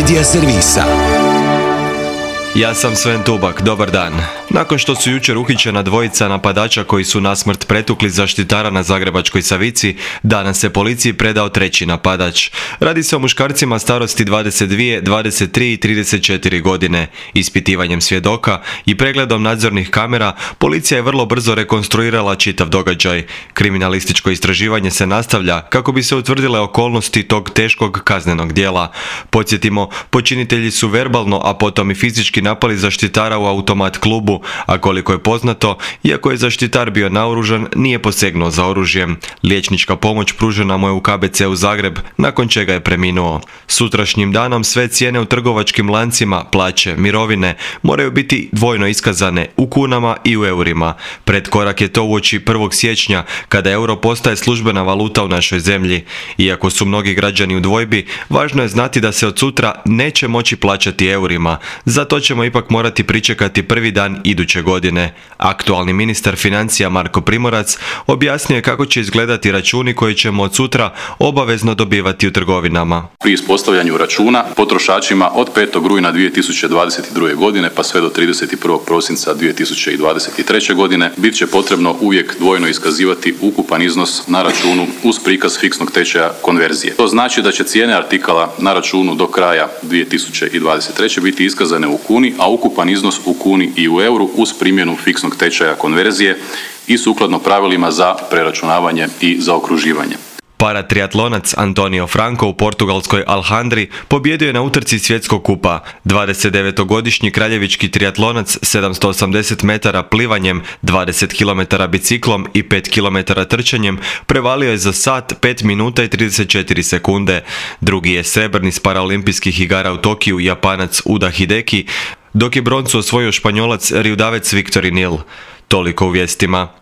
Media servisa. Ja sam Sven Tubak, dobar dan. Nakon što su jučer uhićena dvojica napadača koji su nasmrt pretukli zaštitara na Zagrebačkoj Savici, danas se policiji predao treći napadač. Radi se o muškarcima starosti 22, 23 i 34 godine. Ispitivanjem svjedoka i pregledom nadzornih kamera, policija je vrlo brzo rekonstruirala čitav događaj. Kriminalističko istraživanje se nastavlja kako bi se utvrdile okolnosti tog teškog kaznenog djela. Podsjetimo, počinitelji su verbalno, a potom i fizički napali zaštitara u automat klubu, a koliko je poznato, iako je zaštitar bio naoružan, nije posegnuo za oružjem. Liječnička pomoć pružena mu je u KBC-u Zagreb, nakon čega je preminuo. Sutrašnjim danom sve cijene u trgovačkim lancima, plaće, mirovine moraju biti dvojno iskazane u kunama i u eurima. Predkorak je to uoči 1. siječnja, kada euro postaje službena valuta u našoj zemlji. Iako su mnogi građani u dvojbi, važno je znati da se od sutra neće moći plaćati eurima. Zato ćemo ipak morati pričekati prvi dan iduće godine. Aktualni ministar financija Marko Primorac objasnio je kako će izgledati računi koji ćemo od sutra obavezno dobivati u trgovinama. Pri ispostavljanju računa potrošačima od 5. rujna 2022. godine pa sve do 31. prosinca 2023. godine bit će potrebno uvijek dvojno iskazivati ukupan iznos na računu uz prikaz fiksnog tečaja konverzije. To znači da će cijene artikala na računu do kraja 2023. biti iskazane u kuni, a ukupan iznos u kuni i u euru uz primjenu fiksnog tečaja konverzije i sukladno pravilima za preračunavanje i zaokruživanje. Paratriatlonac Antonio Franco u portugalskoj Alhandri pobjedio je na utrci svjetskog kupa. 29-godišnji kraljevički triatlonac 780 metara plivanjem, 20 km biciklom i 5 km trčanjem prevalio je za sat, 5 minuta i 34 sekunde. Drugi je srebrni s paraolimpijskih igara u Tokiju Japanac Uda Hideki, dok je broncu osvojio Španjolac Riudavec Victorinil. Toliko u vijestima.